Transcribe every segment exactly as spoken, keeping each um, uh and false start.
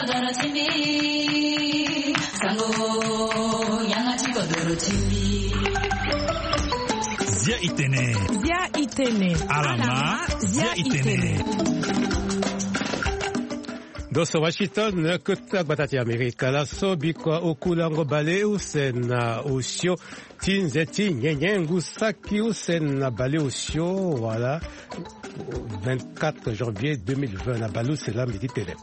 Zia itene. Zia itene. Alama. Zia itene. Ndo so Washington, kota gbata ti Amerika. Laso bikua oku lango baleuse na osio ti nze ti nyenye ngu saki use na baleosio wala vingt-quatre janvier deux mille vingt na baleuse laa mbi ti tene.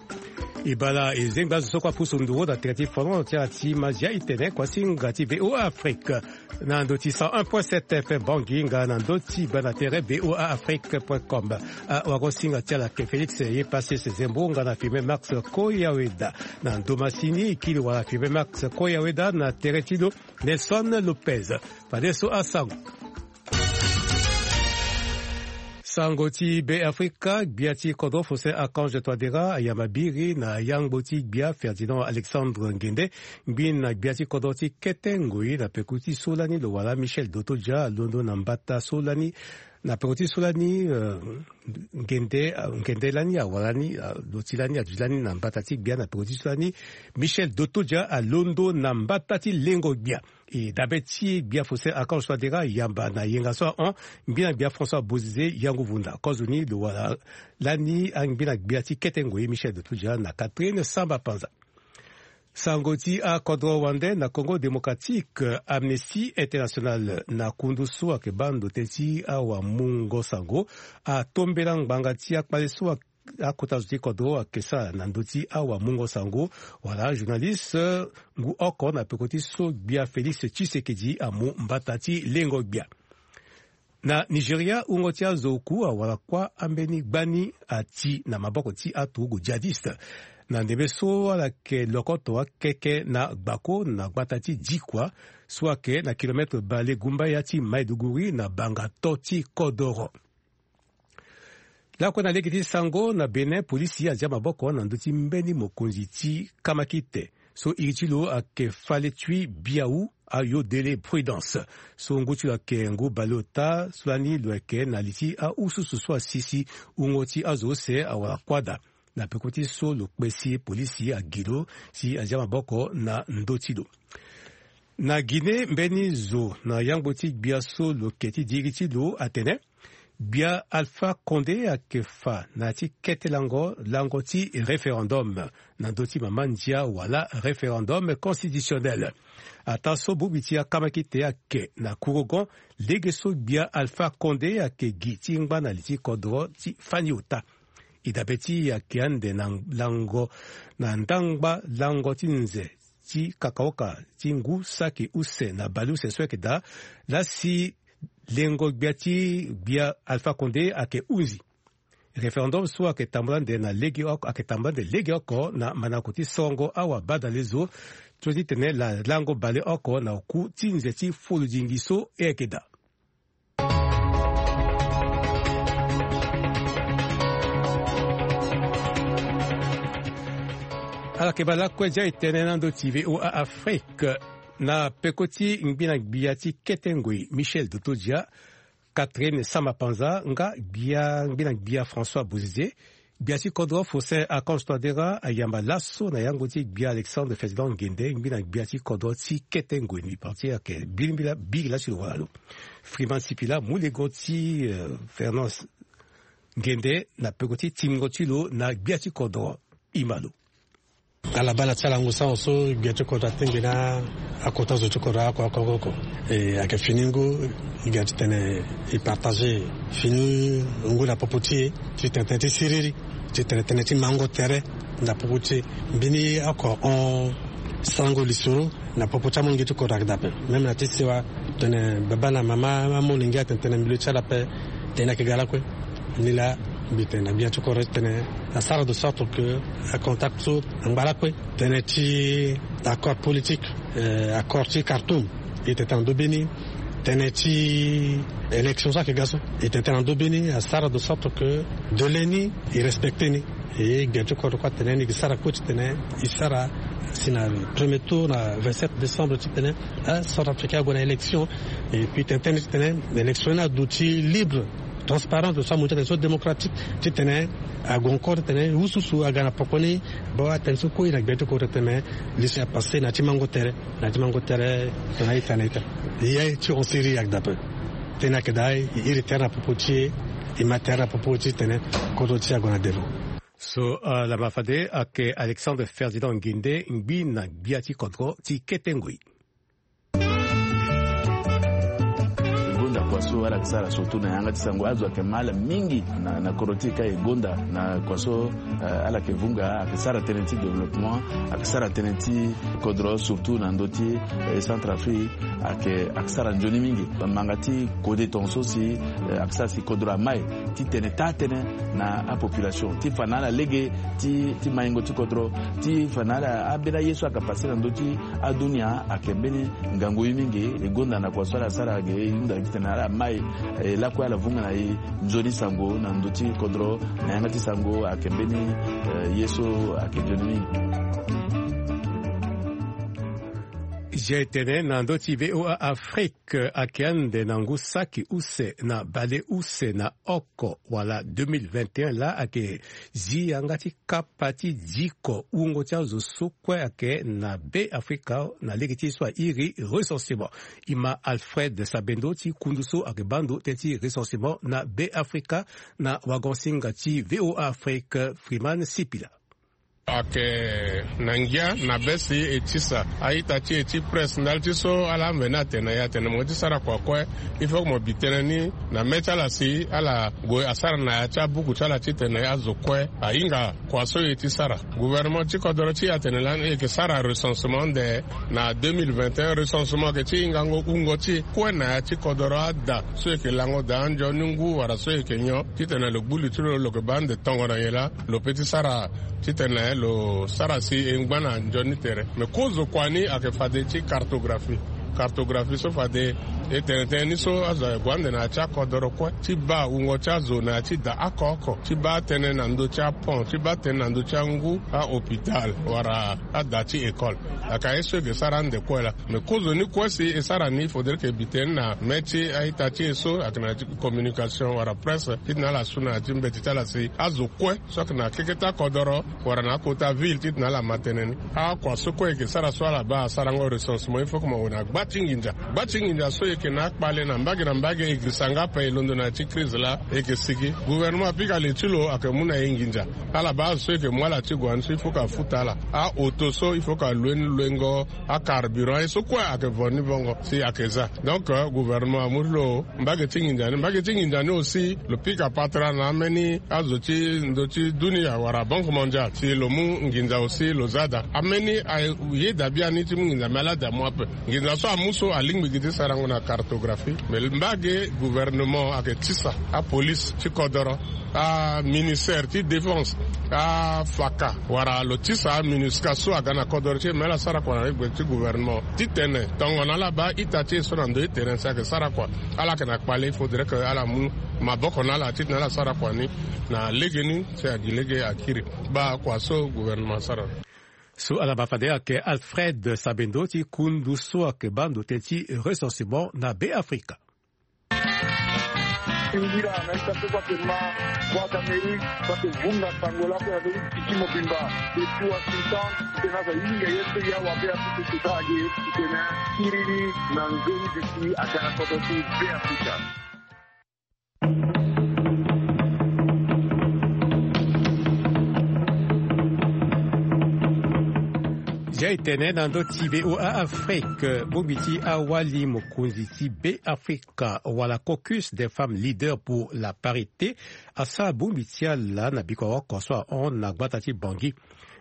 E baa laa e zengba azo so kue apusu nduru na tere ti folon ti ala ti ma zia itene kuasinga ti V O A Afrique. Na ndo ti cent un point sept F M Bangui nga na ndo ti baa na tere V O A Afrique point com. Awagosinga ti ala ke Félix ye pase se zembo nga na filme Max Koyaweda. Na ndo masini kili wala filme Max Koyaweda na tere ti lo Nelson Lopez. Fadeso asango. Sango ti Be Afrika, gbia ti kodro Faustin Archange Touadéra ayamba biri na yangbo ti gbia Ferdinand Alexandre Nguende, ngbi na gbia ti kodro ti kete ngoi na peko ti so lani lo wala Michel Dotodia alondo na mbata so lani, na peko ti so lani, euh, Nguende, euh, Nguende lani awara ni, euh, lo ti lani aduti lani na mbata ti gbia na peko ti so lani, Michel Dotodia alondo na mbata ti lengo gbia. E dabe ti gbia Faustin Archange Touadéra ayamba na yenga so ahon, ngbi na gbia François Bozizé Yanguvunda. Kozoni lo wara lani angbi na gbia ti kete ngoi Michel Dotodia na Catherine Samba Panza. Sango ti akodro wande na Congo Démocratique, Amnesty International na kundu so ayeke baa ndo tënë ti awamungo sango atombela ngbanga ti akpale so akota zo ti kodro ayeke sara na ndö ti awamungo sango wala journaliste ngu oko na peko ti so gbia Félix Tshisekedi amu mbata ti lengo gbia. Na Nigeria, wungo ti azo oku awara kuâ ambeni gbani ati na maboko ti aturugu djihadiste. Na ndembe so ala yeke lokoto akeke na gbako na gbata ti Dikwa so ayeke na kilometre bale gumbaya ti Maiduguri na banga to ti kodoro. Lakue na lege ti sango na Bénin, polisi azia maboko na ndö ti mbeni mokonzi ti kamakite so iri ti lo ayeke Faletui Biaou Ayodele Prudence. So ngu ti lo ayeke ngu baleota so lani lo yeke na li ti aususu so asisi wungo ti azo use awara kuâ daa. Na peko ti so lo kpesi polisi agi lo si azia maboko na ndö ti lo. Na Guinée, mbeni zo na yangbo ti gbia so lo ke ti diri ti lo atene gbia Alpha Condé ayeke fa na ya ti kete lango, lango ti référendum na ndö ti mama ndia wala référendum constitutionnel. Ataa so bongbi ti akamakite ayeke na kurogon lege so gbia Alpha Condé ayeke gi ti ngba na li ti kodro ti fani ota. E dabe ti e ayeke ande na lango na ndangba lango ti nze ti kakaoka ti ngu saki use na baleuse so ayeke daa laa si lengo gbia ti gbia Alpha Condé ayeke hunzi. Référendum so ayeke tambula ande na lege oko, ayeke tambula ande lege oko na mandango ti sorongo awabadale zo so ti tene la lango baleoko na oku ti nze ti folodingi so e yeke daa. Ala yeke baa lakue zia e tene na ndö ti V O A Afrique. Na peko ti ngbi na gbia ti kete ngoi Michel Dotodia, Catherine Samba Panza nga gbia ngbi na gbia François Bozizé, gbia ti kodro Faustin Archange Touadéra ayamba laso na yango ti gbia Alexandre Ferdinand Nguende ngbi na gbia ti kodro ti kete ngoi ni parti ayeke biri mbila biri laa ti lo wala lo. Freeman Sipila mu lego ti, euh, Fernand Nguende na peko ti tingo ti lo na gbia ti kodro. Ima lo. Ala baa na ti ala ngu sango so gbia ti kodro atengbe na akota zo ti kodro oko oko oko. E ayeke fini ngu, e ga titene e partager fini ngu na popo ti e, titene tënë ti siriri, titene tënë ti mango tere na popo ti e. Mbeni oko hon sarango lisoro na popo ti amolenge ti kodro ayeke daa ape. Même na ti sewa tene baba na mama amolenge atene tene milieu ti ala ape tënë ayeke ga lakue. Ni laa mbi tene na gbia ti kodro titene asara de sorte que acontact so angba lakue. Tënë ti accord politique, euh, accord ti Khartoum, e tene tene na ndö be ni. Tënë ti élection so ayeke ga so, e tene tene na ndö be ni, asara de sorte que délai ni e respecter ni. E gbia ti kodro kue atene ni gi sara kue titene e sara si na premier tour na vingt-sept décembre titene, eh, Centrafricain ague na élection. Et puis tene tënë titene élection ni aduti libre, Transparence de so amu ti atene so démocratique titene ague encore titene ususu aga na poko ni. Baa atene so kue na gbe ti kodro titene li so apasse na ti mango tere, na ti mango tere. Tena ita na ita ye ti hon siri agda pe. Tena ayeke daa e iri tere na popo ti e, e ma tere na popo ti tene kodro ti e ague na devant. So, ala ma fade ayeke Alexandre Ferdinand Nguinde, ngbi na gbia ti kodro ti kete ngoi. E gonda kua so ala yeke sara surtout na yanga ti sango, azo ayeke ma ala mingi na, na kodro ti e ka e gonda na kua so, eh, ala yeke vunga, ayeke sara tënë ti développement, ayeke sara tënë ti kodro surtout na ndö ti, eh, Centrafrique, ayeke, ayeke sara nzoni mingi. Manga ti kode tongaso si, eh, ayeke sara si kodro amai titene taa tënë na apopulation ti fa na ala lege ti, ti maingo ti kodro, ti fa na ala ambeni aye so ayeke passe na ndö ti adunia ayeke mbeni ngangu ye mingi. E gonda na kua so ala sara ge e hunda titene ala mai, eh, lakue ala vunga na e nzoni sango na ndö ti kodro na yanga ti sango ayeke mbeni, eh, ye so ayeke nzoni mingi. Zia e tene na ndö ti V O A Afrique ayeke ande na ngu saki use na bale use na oko wala deux mille vingt et un laa ayeke zi yanga ti kapa ti diko wungo ti azo so kue ayeke na Be Afrika na lege ti ye so airi recensement. E ma Alfred Sabendo ti kundu so ayeke baa ndo tënë ti recensement na Be Afrika na wagon-singa ti V O A Afrique, Freeman Sipila. Ayeke na ngia na be si e tisa a-ita ti e ti presse ndali ti so ala amveni atene na e atene mo ye ti sara kua kue, il faut que mo bi tënë ni na mê ti ala si ala gue asara na ya ti abuku ti ala titene azo kue ahinga kua so e ti sara. Gouvernement ti kodoro ti e atene lani e yeke sara recensement ande na deux mille vingt et un. Recensement ayeke ti hingango wungo ti e kue na ya ti kodoro ada so e yeke lango daa anzoni ngu wala so e yeke nyon titene lo gbu li ti lo, lo yeke baa ande tongo na nyen laa lo peut ti sara titene lo sara si e ngba na nzoni tere. Me kozo kua ni ayeke fade ti cartographie. Cartographie so fade e tene tënë ni so azo ague ande na ya ti akodoro kue ti baa wungo ti azo na ya ti da oko oko, ti baa tënë na ndö ti apont, ti baa tënë na ndö ti angu, ahôpital wala ada ti école. Ayeke aye so e yeke sara ande kue laa. Me kozo ni kue si e sara ni, il faudrait que e bi tënë na mê ti a-ita ti e so ayeke na ya ti communication wala presse titene ala su na ya ti mbeti ti ala si azo kue so ayeke na keke ti akodoro wala na akota ville titene ala ma tënë ni. Akua so kue e yeke sara so ala baa asarango recensement, il faut que mo gue na gba ti nginza. Gba ti nginza so e yeke na akpale na mbage na mbage, e girisa nga ape e londo na ya ti crise laa e yeke sigi. Gouvernement apika li ti lo ayeke mu na e nginza. Ala baa azo so e yeke mu ala ti gue na ni so il faut que afuta ala. Aoto so il faut que alue ni luengo, acarburant, ye so kue ayeke vo ni vongo si ayeke za. Donc, euh, gouvernement amu ti lo mbage ti nginza ni. Mbage ti nginza ni aussi lo pika patara na ambeni azo ti ndö ti dunia wala Banque Mondiale si lo mu nginza aussi lo za daa. Ambeni ayeda biani ti mu nginza, me ala daa mu ape. Nginza so amu so alingbi gi ti sarango na cartographie. Me mbage gouvernement ayeke tisa apolice ti kodoro, aministère ti défense, afaka wala lo tisa aMINUSCA so aga na kodoro ti e, me ala sara kua na regbe ti gouvernement titene tongana ala baa ita ti e so na ndo ti terrain si ayeke sara kua, ala yeke na kpale, il faudrait que ala mu maboko na ala titene ala sara kua ni na legeni si agi lege akiri. Baa kua so gouvernement asara. So ala ma fade ayeke Alfred Sabendo ti kundu so ayeke baa ndo tënë ti recensement na Be Afrika. Ngira na ita so kue ayeke ma Voix d'Amérique so ayeke vunga sango lakue na ndö ti tiki mobimba depuis Washington, titene azo ahinga ye so e awa Be Afrika e sara ge, titene akiri ni na nzoni duti aga na kodro ti Be Afrika. Zia e tene na ndö ti V O A Afrique, bongbi ti awali mokonzi ti Be Afrika wala Caucus des femmes leaders pour la parité asara bongbi ti ala na bikua oko so ahon na gbata ti Bangui.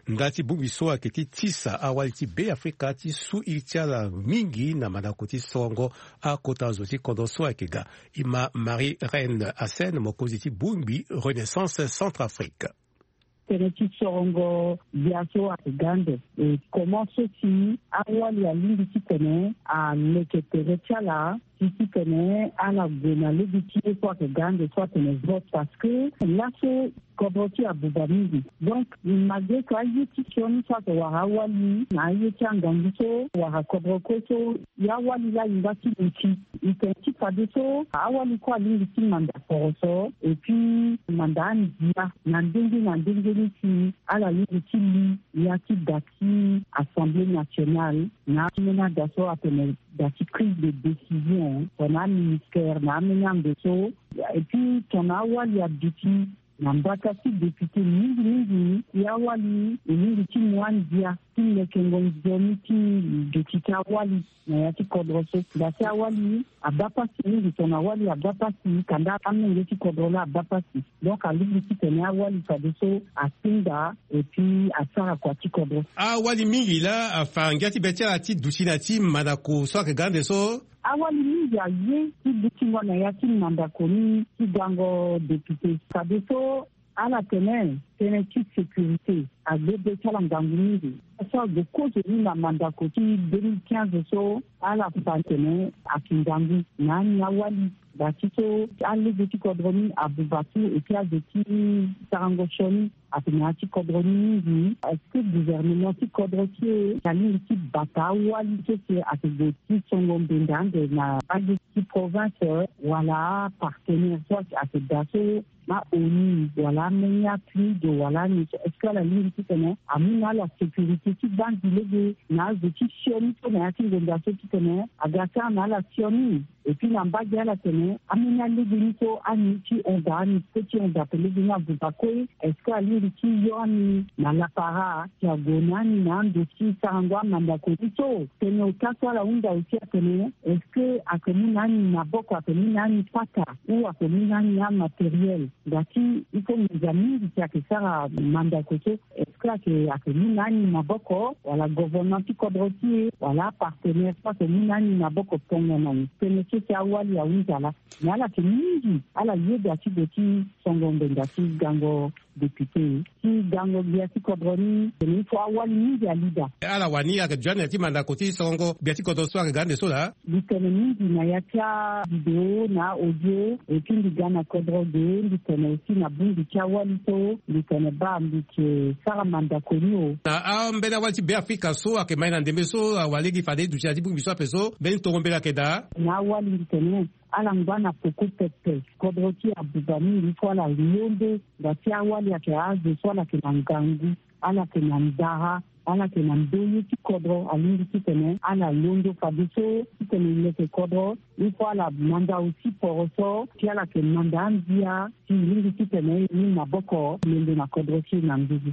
Nda ti bongbi so ayeke ti tisa awali ti Be Afrika ti su iri ti ala mingi na mandako ti sorongo akota zo ti kodro so ayeke ga. E ma Marie Reine Hassen, mokonzi ti bongbi Renaissance Centrafrique. Tënë ti sorongo gbia so ayeke ga ande, e comment so si awali alingbi titene aleke tere ti ala ti titene ala gue na lege ti ye so ayeke ga ande so atene vote, parce que laso kodro ti e abuba mingi. Donc malgré que aye ti sioni so ayeke wara awali na aye ti angangu so wara kodro kue so, ya awali laa e nga ti luti. E tene ti fadeso awali kue alingbi ti manda poroso, et puis manda andia na ndenge na ndenge ni si ala lingbi ti li ya ti da ti Assemblée nationale na ambeni ada so atene da ti prise de décision tongana aministère na ambeni ande so. Et puis tongana awali aduti na mbata ti député mingi mingi, ya awali e lingbi ti mu andia ti lekengo nzoni ti duti ti awali na ya ti kodro so. Da ti awali abaa pasi mingi, tongana awali abaa pasi kanda amenge ti kodro laa abaa pasi. Donc alingbi titene awali fadeso atinda et puis asara kua ti kodro. Awali mingi laa afa ngia ti be ti ala ti duti na ti mandako so ayeke ga ande so. Awali mingi aye ti dutingo na ya ti mandako ni ti gango député. Fadeso ala tene tënë ti sécurité agbe be ti ala ngangu mingi. So ague kozo ni na mandako ti deux mille quinze so, ala fa tene ayeke ngangu na ani awali. Da ti so alege ti kodro ni abuba tu, et puis azo ti sarango sioni atene ya ti kodro ni mingi. Est-ce que gouvernement ti kodro ti e alingbi ti bata awali so si ayeke gue ti songo mbenda ande na alege ti province wala apartenaire so ayeke da so na ONU wala ameni aPNUD wala ani so, est-ce que ala lingbi titene amu na ala sécurité ti banzi lege na azo ti sioni so na ya ti ngonda so titene aga ti ala na ala sioni? Et puis na mbage ala tene ameni alege ni so ani ti honda, ani so ti honda pe lege ni abuba kue, est-ce que alingbi ti yo ani na lapara si ague na ani na ando ti sarango amandako ni so? Tene ota so ala hunda aussi atene est-ce que ayeke mu na ani maboko, ayeke mu na ani pata, ou ayeke mu na ani amatériel? Da ti il faut nginza mingi si ayeke sara mandako so, est-ce que ayeke, ayeke mu na ani maboko wala gouvernement ti kodro ti e wala apartenaire so ayeke mu na ani maboko tongana ni? Tënë so si awali ahunza laa. Mais ala yeke mingi ala yeda ti gue ti songo mbenda ti gango député ti gango gbia ti kodro ni. Tene il faut awali mingi alida. Ala wani ayeke duti ande na ya ti mandako ti songo gbia ti kodro so ayeke ga ande so laa. Mbi tene mingi na ya ti avidéo na audio, et puis mbi ga na kodro ge, mbi tene aussi na bongbi ti awali so mbi tene baa mbi yeke sara mandako ni o. Na ambeni awali ti Beafrika so ayeke ma e na ndembe so, awalege fade e duti na ya ti bongbi so ape so, mbeni tongo mbela ayeke daa. Na awali mbi tene ala ngba na peko pepe. Kodro ti e abuba mingi, il faut ala londo. Da ti awali ayeke azo so ala yeke na ngangu, ala yeke na ndara, ala yeke na ndoye ti kodro, alingbi titene ala londo fadeso titene e leke kodro. Il faut ala manda aussi poroso, si ala yeke manda andia, si e lingbi titene e mu maboko londo na kodro ti e na nduzu.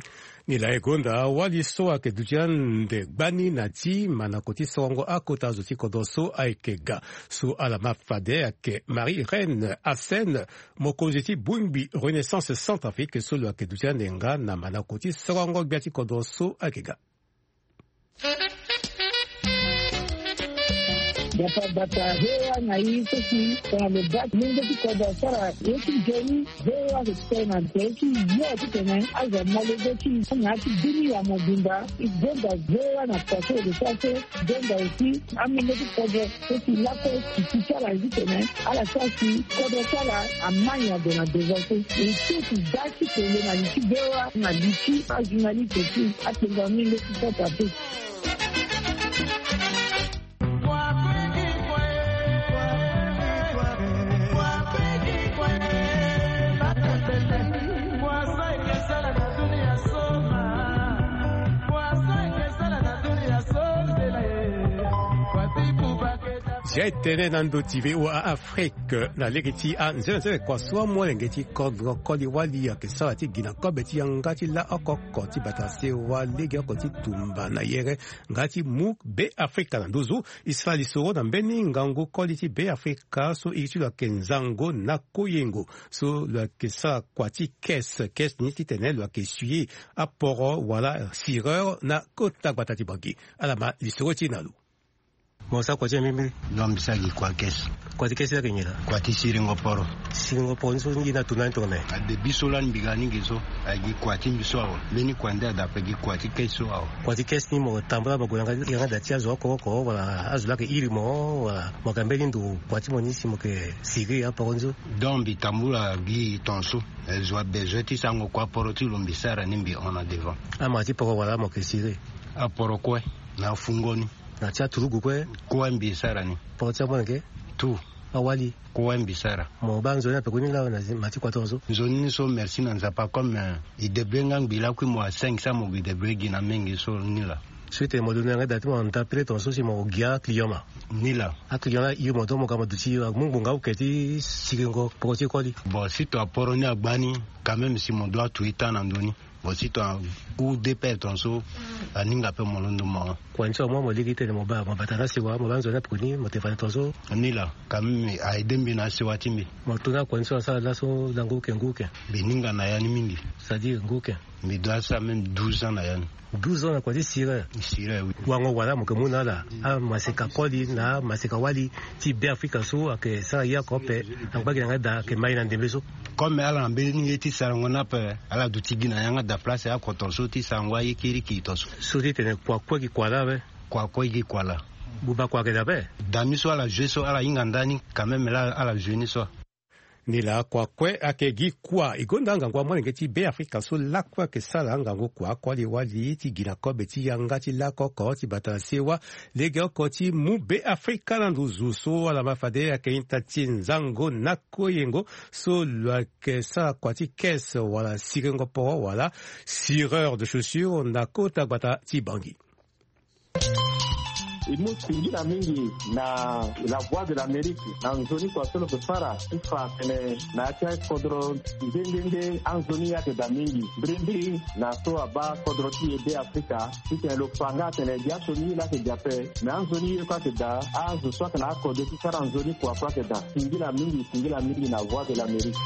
Nilaa e gonda awali so ayeke duti ande gbani na ti mandako ti sorongo akota zo ti kodro so ayeke ga. So ala ma fade ayeke Marie Reine Hassen, mokonzi ti bongbi Renaissance Centrafrique so lo yeke duti ande nga na mandako ti sorongo gbia ti kodro so ayeke ga. Bata bata hewa na i so si tongana lo baa ti lenge ti kodro asara ye ti nzoni. Hewa lo tene na nze ti yo titene azo amolenge ti i na ya ti bini ya mobimba. I gonda hewa na paso lo sara so. Gonda aussi amolenge ti kodro so si lakue titi ti ala titene ala sara si kodro ti ala amai ande na devant so. E so si da ti tene na li ti hewa na li ti ajournaliste ti atenga amolenge ti sota te. Zia e tene na ndo ti V O A Afrique na lege ti anzenanzene kua so amolenge ti kodro koli wali ayeke sara ti gi na kobe ti yanga ti laoko oko ti bata sewa legeoko ti tumba na yere nga ti mu Beafrika na nduzu. E sara lisoro na mbeni ngangu koli ti Beafrika so iri ti lo ayeke Nzango na Koyengo so lo yeke sara kua ti caisse, caisse ni titene lo yeke essuyer aporo wala sireur na kota gbata ti Bangui. Ala ma lisoro ti e na lo. Mo sa kua ti mbi mbiri. Non, mbi sa gi kua kesi. Kua ti kesi ayeke nyen laa? Kua ti siringo poro. Siringo poro ni so ni gi na tuna ni tongana nyen? Adebi so lani mbi ga ni gi so, ayeke gi kua ti mbi so awe. Mbeni kua nde ada ape gi kua ti kesi so awe. Kua ti kesi ni mo tambula mo gue na yanga, yanga da ti azo oko oko wala azo laa ayeke iri mo wala mo yeke mbeni ndo kua ti mo ni si mo yeke siri aporo ni so? Donc mbi tambula gi tongaso. Eh, zo abezoin ti sarango kua poro ti lo mbi sara ni mbi hon na devant. Amara ti poro wala mo yeke siri? Aporo kue na afungo ni. Na ti aturugu kue? Kue mbi sara ni. Poro ti amolenge? Tout. Awali? Kue mbi sara. Mo baa nzoni ape kue ni laa na zi-, ma ti kua tongaso? Nzoni ni so merci na Nzapa comme, eh, e débrouiller nga ngbii lakui mo a cinq cents mo gi débrouiller gi na mingi so ni laa. So e tene mo londo na yanga da ti mo na nda pele tongaso si mo gi aclient ma? Ni laa. Aclient laa e hiri mo donc mo ga mo duti amu ngbonga oke ti siringo poro ti koli? Bon, si to aporo ni agba ni, quand même si mo doit to e temps na ndo ni. Bon, si to a ou deux paires tongaso, aninga ape mo londo mo hon. Kua ni so amu mo lege ti tene mo baa mo bata na asewa, mo baa nzoni ape kue ni mo tene fade tongaso? Ni laa, quand même a aidé mbi na asewa ti mbi. Mo to na kua ni so asara laso lango oke ngu oke? Mbi ninga na ya ni mingi. C'est-à-dire ngu oke? Mbi doit sara même douze ans na ya ni. Douze ans na kua ti sireur? Sireur, oui. Wango wala mo yeke mu na ala amaseka koli na amaseka wali ti Beafrika so ayeke sara ye oko ape, angba gi na yanga da ayeke ma e na ndembe so? Comme ala na mbeni ye ti sarango ni ape, ala duti gi na yanga da place oko tongaso ti sarango aye kirikiri tongaso. So ti tene kua kue gi kua laa awe? Kua kue gi kua laa. Buba kua ayeke daa ape? Dami so ala joue so ala hinga ndani quand même laa ala joue ni so. Ni laa kua kue ayeke gi kua. E gonda angangu amolenge ti Beafrika so lakue ayeke sara ngangu kua koli wali ti gi na kobe ti yanga ti lako oko ti bata na sewa. Legeoko ti mu Beafrika na nduzu so ala ma fade ayeke ita ti nzango na koyengo so lo yeke sara kua ti caisse wala siringo poro wala sireur de chaussure na kota gbata ti Bangui. E mu singila mingi na La Voix de l'Amérique na nzoni kua so lo yeke sara ti fa atene na ya ti akodro nde nde nde anzoni ayeke daa mingi mbirimbiri na so abaa kodro ti e Beafrika. Titene lo fa nga atene gi asioni ye laa ayeke gi ape, me anzoni ye kue ayeke daa. Azo so ayeke na akodro ti sara nzoni kua kue ayeke daa. Singila mingi, singila mingi na Voix de l'Amérique.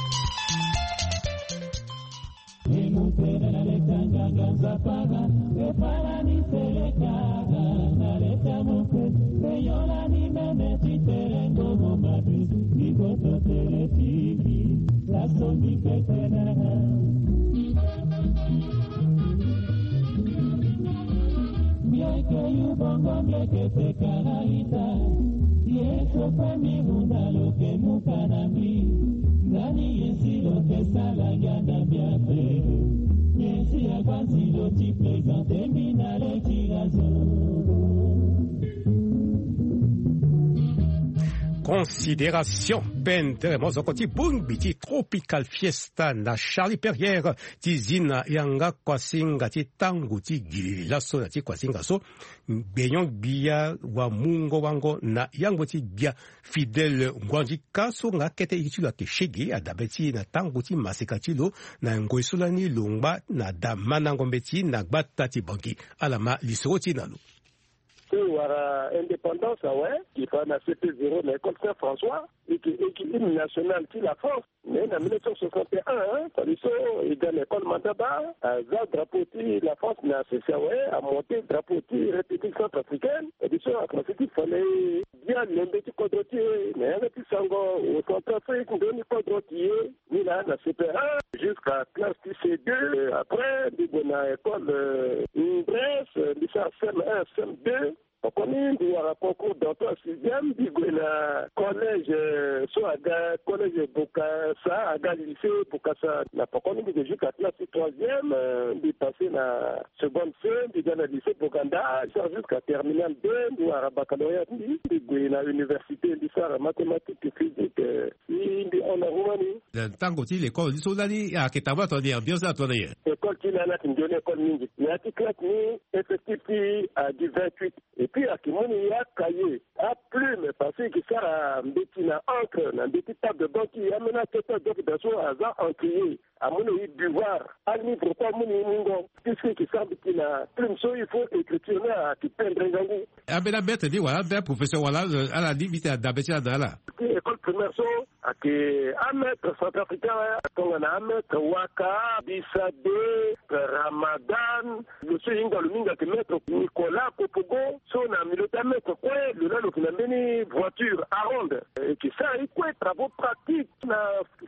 Mbi yeke yu bongo mbi yeke peka na ita. Ye so kue mbi mu na lo yeke mu ka na mbi. Ndani ye si lo yeke sala ngia na mbi ape. Ye si agba nzi lo ti présente mbi na leki na zo. Considération pendere mozoko ti bongbi ti Tropical Fiesta na Charlie Perrière ti zi na yanga kuasinga ti tango ti gilili laso na ti kuasinga so. Gbenyon-gbia wa mungo wango na yango ti gbia Fidèle Nguandika so nga kete ye ti lo ayeke shege adabe ti e na tango ti maseka ti lo na ngoi so lani lo ngba na da mandango mbeti na gbata ti Bangui. Ala ma lisoro ti e na lo. So e wara indépendance awe, e fa na C P zéro na école Saint François, e yeke e gi hymne national ti la France. Mais na mille neuf cent soixante et un, hein, fade so e ga na école Mandaba, aza drapeau ti la France na sese awe, amonte drapeau ti République centrafricaine. E biso akomanse ti fa na e bia lembe ti kodro ti e na yanga ti sango o Centrafrique ndoni kodro ti e. Ni laa na C P un jusqu'à classe ti C deux. Après mbi gue na école, euh, Mbresse, mbi sara C M un, C M deux. Poko ni mbi wara concours d'entrée en sixième, mbi gue na collège, euh, so aga collège Bokassa, aga lycée Bokassa. Na poko ni mbi gue jusqu'à classe ti troisième, euh, mbi passé na seconde C, mbi ga na lycée Boganda, mbi sara jusqu'à terminale deux, mbi wara baccalauréat ti mbi, mbi gue na université, mbi sara mathématique, physique, euh, mbi, mbi hon na ru ma ni. Na tango ti l'école ni so lani ayeke tambula tongana nyen, ambiance ni atongana nyen? École ti lani ayeke nzoni école mingi. Na ya ti classe ni effectif ti e agi vingt-huit. Et puis ayeke mu ni acahier, aplume, parce que e yeke sara mbeti na encre na mbeti table de banc ti e, ambeni akete adoki daa so aza encrier. Amu na e devoir, alivre kue amu na e mungo. Puisque e yeke sara mbeti na plume so, il faut écriture ni ayeke pendre ngangu. Ambeni amaître ni wala ambeni aprofesseur wala, euh, ala ni mbi tene adabe ti ala na ala. École Première so ayeke amaître centrafricain, tongana amaître Waka, Bisade, Ramadan. Lo so e hinga lo mingi ayeke maître Nicolas Kopogo. So na milieu ti amaître kue, lo laa lo yeke na mbeni voiture aronde, e yeke sara ye kue travaux pratiques. Na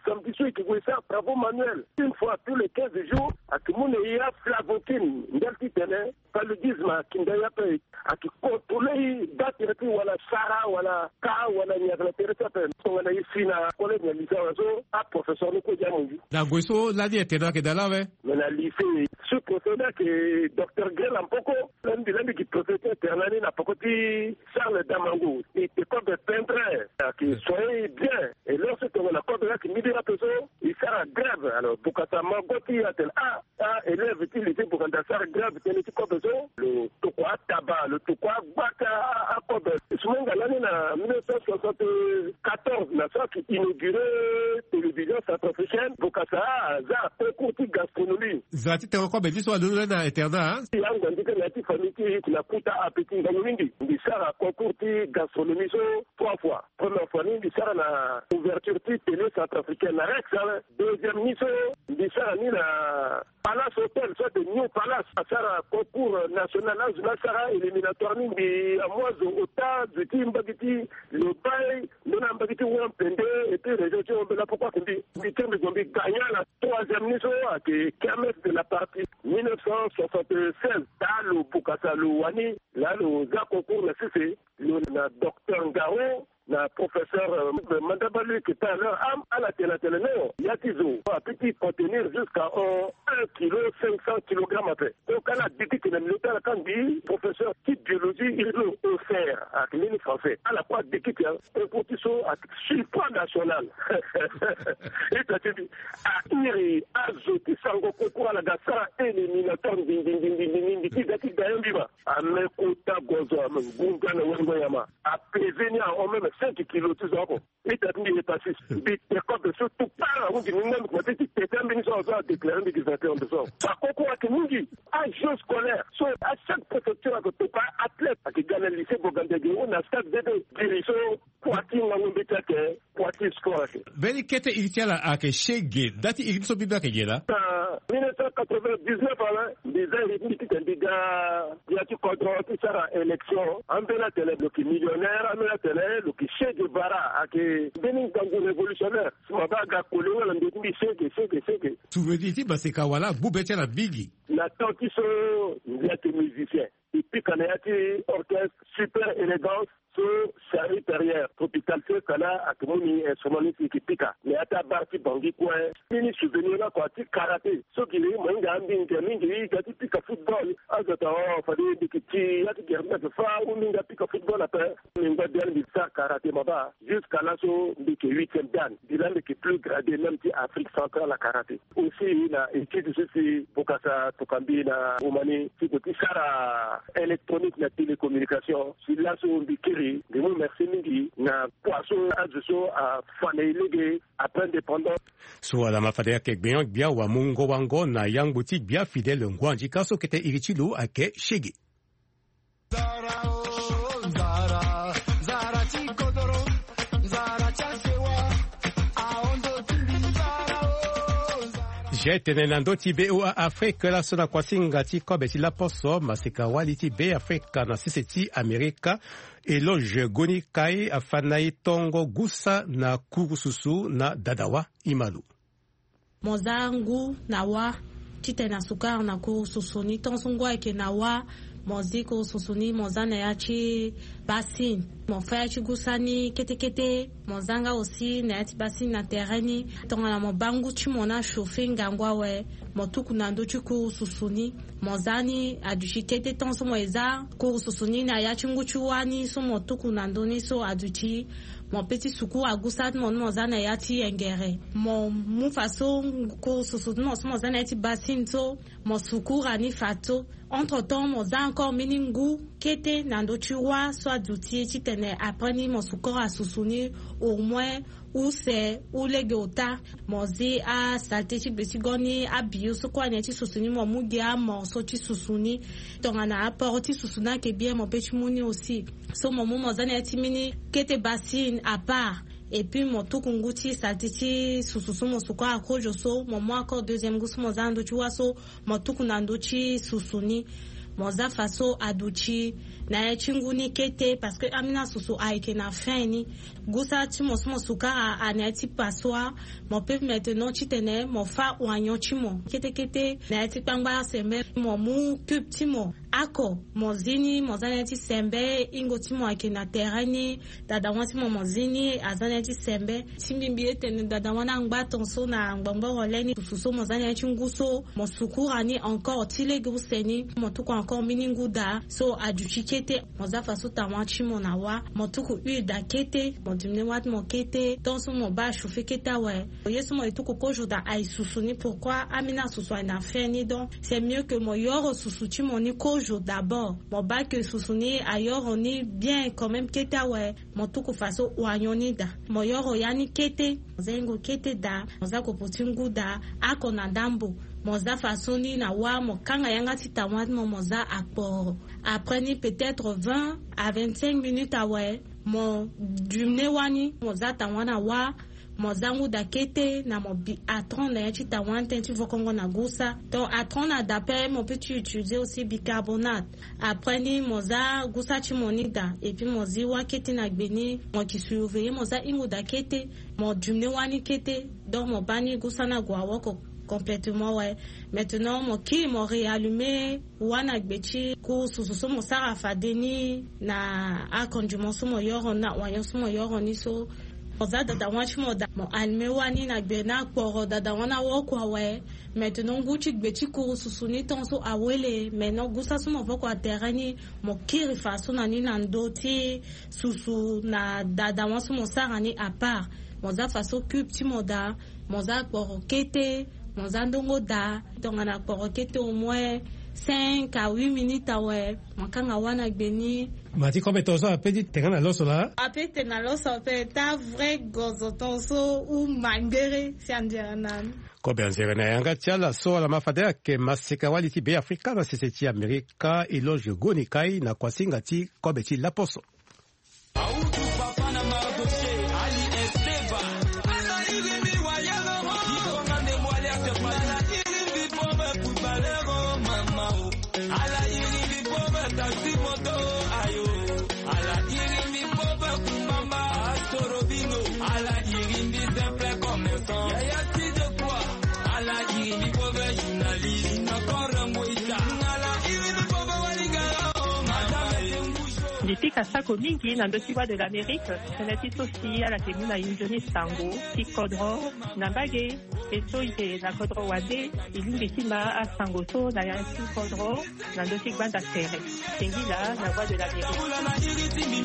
samedi so e yeke gue sara travaux manuels une fois tous les quinze jours. Ayeke mu na e aflavoquine ndali titene paludisme akinda e ape. Ayeke contrôler e, baa tere ti wala sara wala ka wala nyaga na tere ti ape. Tongana e si na collège na lycée awe so, aprofesseur ni kue gi amunzu. Na ngoi so lani internat ayeke daa laa awe. Mais na lycée, sous-préfet ni ayeke docteur Grela Mpoko. Lani mbi lani mbi gi préfet ti internat ni na poko ti Charles Damango. E te kobe peintre, ayeke soigner e bien. Et lorsque tongana kobe ni ayeke mbiri ape so, e sara grève. Alors Bokassa Mago ti e atene ah, ah, élève ti lycée Boganda asara grève tënë ti kobe so. Lo tokua ataba, lo tokua agbata akobe. Sumenga lani na mille neuf cent soixante-quatorze na so ayeke inauguré télévision centrafricaine, Bokassa aza concours ti gastronomie. Zara ti tengo kobe ni so alondo lani na internat, hein? Ti yango andi kâ na ya ti famille ti e na kuta ape ti ngangu mingi. Mbi sara concours ti gastronomie so trois fois. Première fois ni mbi sara na ouverture ti télé centrafricaine na Rex, hein. Deuxième ni so mbi sara ni na Palace Hotel, so ayeke New Palace, asara concours national, azo ni asara éliminatoire ni. Mbi amu azo ota zo ti mbage ti Lobaye, ndö na mbage ti Wampende, et puis région ti Hombela. Pourquoi que mbi, mbi tire mbi gue mbi gagnant na troisième ni so ayeke Kermesse de la Patrie mille neuf cent soixante-seize. Daa lo Bokassa lo wani, laa lo za concours na sese, lo na docteur Ngaro, na professeur, euh, Mandaba, lui qui était à leur âme, ala tene atene non, ya ti zo apeut ti contenir jusqu'à, euh, un kilo cinq cents kilogrammes ape. Donc ala dikiti na milieu ti ala kâ. Mbi professeur ti biologie hydro-osphère, ayeke mbeni français, ala kue adikiti. Concours ti so ayeke supranational. Ita ti mbi, a iri azo ti sango concours, ala ga sara éliminatoire ndindindindindi ti ga ti gagnant mbi ma. Ame kota gozo, ame ngunga na wengo nyama. Apesé ni ahon même cinq kilos ti zo oko. Ita ti mbi hépatite. Mbi te kobe so tout part, ahunzi ni ngangu, mbi kuma ti ti tete ambeni so azo adéclaré mbi gi vainqueur de so. Fa concours ayeke mingi. Ajeux scolaire so, à chaque préfecture ayeke topa athlète. Ayeke ga na lycée Boganda ge ou na stade bébé. Giri so, poids ti ngangu mbeti ayeke, poids ti sport ayeke. Mbeni kete iri ti ala ayeke Shege. Nda ti iri ni so mbi mbi ayeke ge laa? Na mille neuf cent quatre-vingt-dix-neuf awe, mbi za iri ti mbi titene mbi ga ya ti kodro ti sara élection. Ambeni atene lo yeke millionnaire, ambeni atene lo yeke Che Guevara, ayeke mbeni ngangu révolutionnaire. Si ma baa aga koli nga na ndö ti mbi, Shege, Shege, Shege. Souvenir ti Maseka Wala agbu be ti ala mingi. Na temps ti so mbi ayeke musicien, e pika na ya ti orchestre Super Élégance. So Charlie Perrier, Tropical Fiesta laa ayeke mu ni instrument ni si e yeke pika na ya ti abar ti Bangui kue. Mbeni souvenir ni oko ti karaté. So giri mo hinga ambi ngia mingi, e ga ti pika football, azo atene oh, fade mbi yeke ti ya ti gere ni ayeke fâ ou mbi hinga pika football ape. Mbi ngba biani mbi sara karaté ma baa. Jusqu'à laso mbi yeke huitième dan. Mbi laa mbi yeke plus gradé même ti Afrique centrale na karaté. Aussi na étude so si Bokassa atokua mbi na Roumanie ti gue ti sara électronique na télécommunication. Si laso mbi kiri, mbi mu merci mingi na kua so azo so afa na e lege après indépendance. So ala ma fade ayeke gbenyo-gbia wamungo-wango na yangbo ti gbia Fidèle Ngoandika so kete iri ti lo ayeke Shege. Nzara o, nzara, nzara ti kodoro, nzara ti asewa, ahondo ti mbi nzara o, nzara. Ge tene na ndö ti B O A Afrique laso na kuasinga ti kobe ti laposo, maseka wali ti Be Afrika na sese ti Amerika, Eloge Goni Kai afa na e tongo gusa na kurususu na Dadawa. Imalo. Mo za ngu na wâ titene asukara na kurususu ni. Tongaso ngu ayeke na wâ, mo zi kurususu ni, mo za na ya ti bassine. Mo fâ ya ti gusa ni kete kete. Mo za nga aussi na ya ti bassine na tere ni. Tongana mo baa ngu ti mo ni achauffer ngangu awe, mo tuku na ndö ti kurususu ni. Mo za ni aduti kete. Tongaso mo ye za kurususu ni na ya ti ngu ti wâ ni so mo tuku na ndö ni so aduti, mo peut ti suku agusa ti mo ni mo za na ya ti yengere. Mo mu faso kurususu ti mo so mo za na ya ti bassine so, mo sukura ni faso. Entre temps mo za encore mbeni ngu kete na ndö ti wâ so aduti titene après ni mo sukura susu ni au moins use ou lege ota. Mo zi asalte ti gbe ti go ni, abio so kue na ya ti susu ni mo mu gi amorceau ti susu ni. Tongana aport ti susu ni ayeke bien mo peut ti mu ni aussi. So mo mu mo za na ya ti mbeni kete bassine à part. Et puis mo tuku ngu ti salté ti susu so mo suku akozo so, mo mu encore deuxième ngu so mo za na ndö ti wâ so, mo tuku na ndö ti susu ni. Mo za fa so aduti na ya ti ngu ni kete, parce que ambeni asusu ayeke na fin ni. Ngu sara ti mo so mo suku a, a na ya ti passoire. Mo peut maintenant titene mo fâ oignon ti mo kete kete na ya ti kpangba sembe. Mo mu cube ti mo, ako mo zi ni, mo za na ya ti sembe. Hingo ti mo ayeke na terrain ni. Dada wa ti mo, mo zi ni, aza na ya ti sembe. Ti mbi mbi etene dada wa ni angba ton so na ngbongboro lê ni. Susu so mo za na ya ti ngu so, mo sukura ni encore ti lege use ni. Mo tuku encore mbeni ngu daa so aduti kete. Mo za fa so tawa ti mo na wâ. Mo tuku huile daa kete. Mo dumene wâ ti mo kete. Ton so mo baa achauffer kete awe. Ye so mo ye tuku kozo daa aye susu ni. Pourquoi? Ambeni asusu aye na fin ni. Donc c'est mieux que mo yoro susu ti mo ni kozo d'abord. Mo baa que susu ni ayoro ni bien quand même kete awe. Mo tuku fa so oignon ni daa. Mo yoro ya ni kete. Mo za hingo kete daa. Mo za kopo ti ngu daa. Ako na ndambo. Mo za fa so ni na wâ. Mo kanga yanga ti tawa ti mo, mo za akporo. Après ni peut-être vingt à vingt-cinq minutes awe. Mo dumene wâ ni, mo za tawa na wâ. Mo za ngu daa kete na mo bi atron na ya ti tawa ni tënë ti vokongo na gusa. Donc atron na daa pe, mo peut ti utiliser aussi bicarbonate. Après ni mo za gusa ti mo ni daa, et puis mo zi wâ kete na gbe ni, mo ki surveiller, mo za hingo daa kete, mo dumene wâ ni kete. Donc mo baa ni gusa ni ague awoko complètement, ouais. Maintenant mo kiri, mo réallumer wâ na gbe ti kuru susu so mo sara fade ni na aconditionnement so mo yoro ni, na oignon so mo yoro ni so. Mo za dada wa ti mo daa, mo allumer wâ ni na gbe ni akporo, dada wa ni awoko awe. Maintenant ngu ti gbe ti kuru susu ni ton so awele. Maintenant gusa so mo voko atere ni, mo kiri fa so na ni na ndö ti susu na dada wa so mo sara ni à part. Mo za fa so cube ti mo daa, mo za akporo kete, mo za ndongo daa. Tongana akporo kete au moins cinq à huit minutes awe, mo kanga wâ na gbe ni. Ma ti kobe ton so ape ti tene na loso laa? Ape ti tene na loso ape, ta vrai gozo ton so ou mangbere si anzere na ni. Kobe anzere na yanga ti ala so ala ma fade ayeke maseka-wali ti Beafrika na sese ti Amerika, Eloge Gonikai na kuasinga ti kobe ti laposo. Awutu papa na Mardoché, Ali Esteba. Ala iri mbi wayalo, i tonga nde mo Ali Esteba. Ala iri mbi pauvre footballeur, oh, mama, oh. Ala iri mbi pauvre taxi moto, ayo. Ala iri mbi pauvre kumama, Astrobino. Ala iri mbi simple commerçant. Yaya ti de quoi? Ala iri mbi pauvre journaliste. Nakora ngweita. Ala iri mbi pauvre waligara, oh, mama, eh. Mbi pika sako mingi na ndö ti Voix de l'Amérique. Tënë ti so si ala yeke mu na e nzoni sango ti kodro na mbage. E so e yeke na kodro wande, e lingbi ti ma asango so na ya ti kodro na ndö ti gbanda tere. Sengila na Voix de l'Amérique.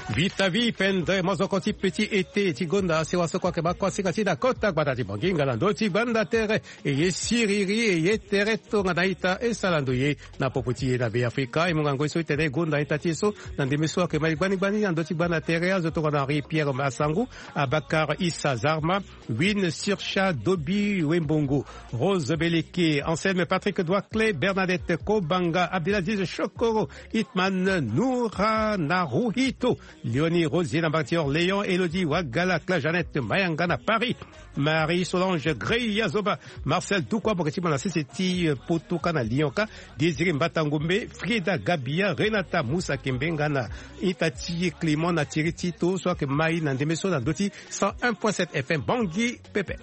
Vita vi pendere mozoko ti petit été ti gonda sewa so kue ayeke ma kuasinga ti na kota gbata ti Bonginga na ndö ti gbanda tere. E ye siriri, e ye tere tongana ita, e sara ndo ye na popo ti e na Beafrika. E mu ngangu ye so titene e gonda ita ti e so na ndembe so ayeke ma e gbani gbani na ndö ti gbanda tere. Azo tongana Henri Pierre Masangu, Abakar Issa Zarma, Win Sircha Dobi Wembongo, Rose Beleke, Anselme Patrick Douaclé, Bernadette Kobanga, Abdelaziz Chokoro, Hitman Noura Naruhito, Léonie Rosier na mbage ti Orléans, Elodie Wagala, Claire Jeannette Mayanga na Paris, Marie Solange Greya Zoba, Marcel Tukwa, mo yeke ti mo na sese ti, eh, Poto ka na Lyon ka, Désiré Mbata Ngombe, Frieda Gabia, Renata Moussa Kembe nga na ita ti e Clément na Thierry Tito so ayeke ma e na ndembe so na ndö ti cent un point sept F M Bangui pepe.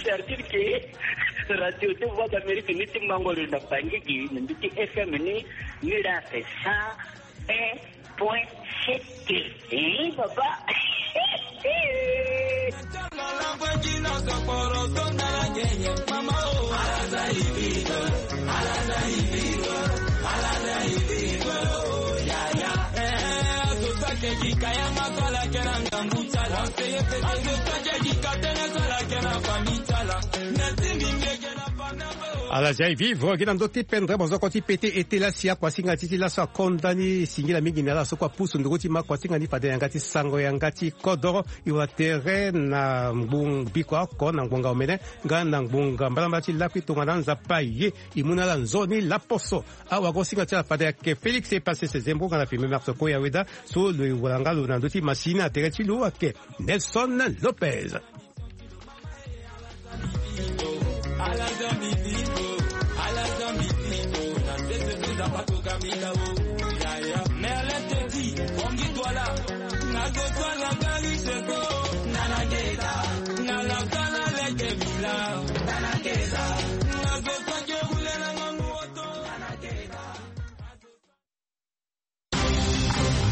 Certitude que radio ti Voix d'Amérique ni ti mango lo na Bangui gi na mbi ti F M ni, ni la c'est ça. Un point sept. Eh, papa. Ala zia e vivre gi na ndö ti pendere mozoko ti pete ete lasi akuasinga ti ti laso akonda ni singila mingi na ala so kue apusu nduru ti ma akuasinga ni fade yanga ti sango yanga ti kodoro. E wara tere na ngbunga biko oko na ngbonga omene nga na ngbonga mbalambala ti lakui tongana nzapa ye e mu na ala nzoni laposo. Awagosinga ti ala fade ayeke Félix Epasese Zembo nga na Firmin Martoko Yaweda so lo e wara nga lo na ndö ti masini na tere ti lo ayeke Nelson Lopez.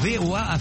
V O A